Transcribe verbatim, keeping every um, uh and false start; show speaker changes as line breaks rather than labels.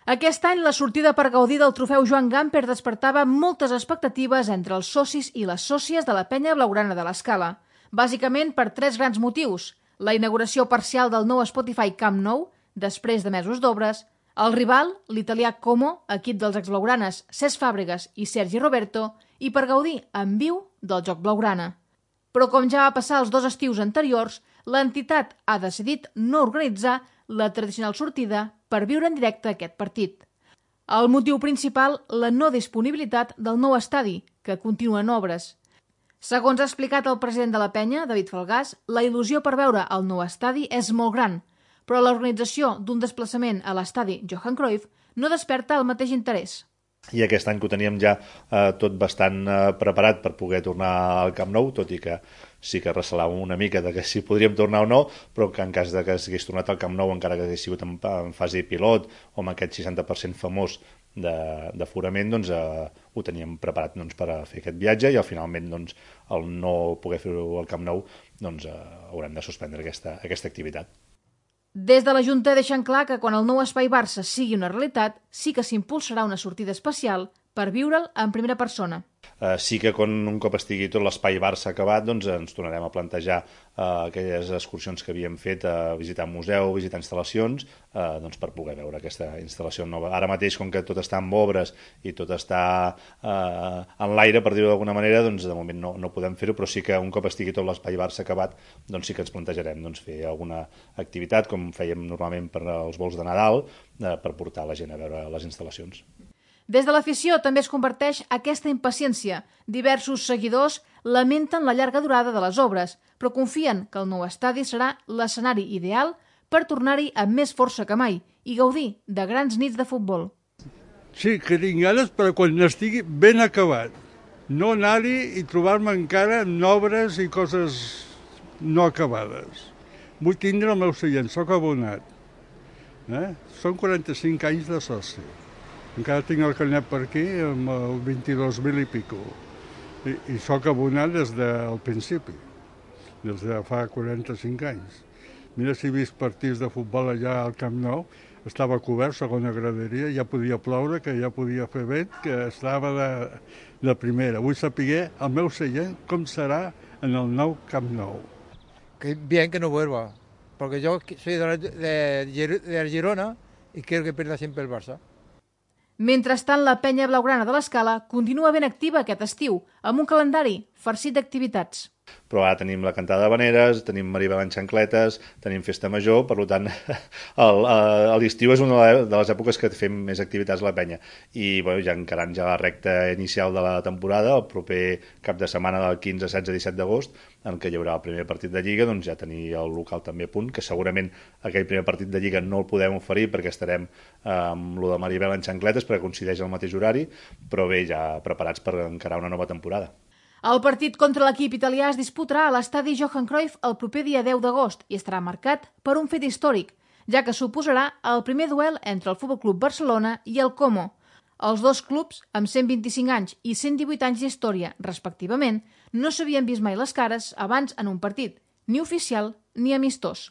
Aquest any la sortida per gaudir del trofeu Joan Gamper despertava moltes expectatives entre els socis i les sòcies de la penya blaugrana de l'Escala. Bàsicament per tres grans motius: la inauguració parcial del nou Spotify Camp Nou, després de mesos d'obres, el rival, l'italià Como, equip dels exblaugranes Cesc Fàbregas i Sergi Roberto, i per gaudir en viu del joc blaugrana. Però com ja va passar els dos estius anteriors, l'entitat ha decidit no organitzar la tradicional sortida per viure en directe aquest partit. El motiu principal, la no disponibilitat del nou estadi, que continua en obres. Segons ha explicat el president de la penya, David Falgàs, la il·lusió per veure el nou estadi és molt gran, però l'organització d'un desplaçament a l'estadi Johan Cruyff no desperta el mateix interès.
I aquest any que ho teníem ja eh, tot bastant eh, preparat per poder tornar al Camp Nou, tot i que sí que recelàvem una mica de que si podríem tornar o no, però que en cas de que s'hagués tornat al Camp Nou, encara que hagués sigut en, en fase pilot o amb aquest seixanta per cent famós d'aforament, doncs eh, ho teníem preparat doncs, per a fer aquest viatge, i al finalment doncs, el no poder fer-ho al Camp Nou, doncs eh, haurem de suspendre aquesta, aquesta activitat.
Des de la Junta deixen clar que quan el nou Espai Barça sigui una realitat, sí que s'impulsarà una sortida especial per viure'l en primera persona.
Uh, sí que quan un cop estigui tot l'espai Barça acabat, doncs ens tornarem a plantejar uh, aquelles excursions que havíem fet a visitar museu, visitar instal·lacions, uh, doncs per poder veure aquesta instal·lació nova. Ara mateix, com que tot està en obres i tot està uh, en l'aire, per dir-ho d'alguna manera, doncs de moment no, no podem fer-ho, però sí que un cop estigui tot l'espai Barça acabat, doncs sí que ens plantejarem doncs, fer alguna activitat, com fèiem normalment per als vols de Nadal, uh, per portar la gent a veure les instal·lacions.
Des de l'afició també es comparteix aquesta impaciència. Diversos seguidors lamenten la llarga durada de les obres, però confien que el nou estadi serà l'escenari ideal per tornar-hi amb més força que mai i gaudir de grans nits de futbol.
Sí, que tinc ganes, però quan estigui ben acabat. No anar-hi i trobar-me encara amb obres i coses no acabades. Vull tindre el meu seient, soc abonat. Eh? Són quaranta-cinc anys de soci. Encara tinc el carnet per aquí amb el vint-i-dos mil i pico. I, i soc abonat des del principi, des de fa quaranta-cinc anys. Mira si he vist partits de futbol allà al Camp Nou, estava cobert, segona graderia, ja podia ploure, que ja podia fer vent, que estava de, de primera. Vull saber el meu seient com serà en el nou Camp Nou.
Que bien que no vuelva, porque yo soy de, de, de Girona y quiero que pierda siempre el Barça.
Mentrestant, la penya blaugrana de l'Escala continua ben activa aquest estiu, amb un calendari farcit d'activitats.
Però ara tenim la cantada de Vaneres, tenim Maribel en xancletes, tenim festa major, per tant, l'estiu és una de les èpoques que fem més activitats a la penya. I bueno, ja encarant ja la recta inicial de la temporada, el proper cap de setmana del quinze, setze, disset d'agost, en què hi haurà el primer partit de Lliga, doncs ja tenir el local també a punt, que segurament aquell primer partit de Lliga no el podem oferir perquè estarem amb lo de Maribel en xancletes, perquè coincideix al mateix horari, però bé, ja preparats per encarar una nova temporada.
El partit contra l'equip italià es disputarà a l'estadi Johan Cruyff el proper dia deu d'agost i estarà marcat per un fet històric, ja que suposarà el primer duel entre el Futbol Club Barcelona i el Como. Els dos clubs, amb cent vint-i-cinc anys i cent divuit anys d'història, respectivament, no s'havien vist mai les cares abans en un partit, ni oficial ni amistós.